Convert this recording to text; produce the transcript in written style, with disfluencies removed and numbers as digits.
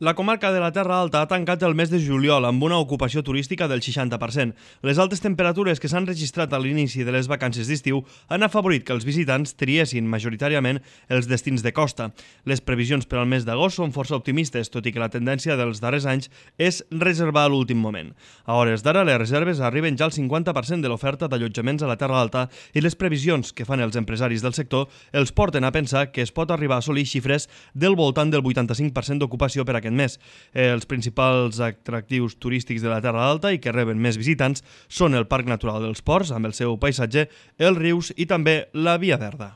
La comarca de la Terra Alta ha tancat el mes de juliol amb una ocupació turística del 60%. Les altes temperatures que s'han registrat a l'inici de les vacances d'estiu han afavorit que els visitants triessin majoritàriament els destins de costa. Les previsions per al mes d'agost són força optimistes, tot i que la tendència dels darrers anys és reservar a l'últim moment. A hores d'ara, les reserves arriben ja al 50% de l'oferta d'allotjaments a la Terra Alta i les previsions que fan els empresaris del sector els porten a pensar que es pot arribar a assolir xifres del voltant del 85% d'ocupació per aquest mes. Els principals atractius turístics de la Terra Alta i que reben més visitants són el Parc Natural dels Ports, amb el seu paisatge, els rius i també la Via Verda.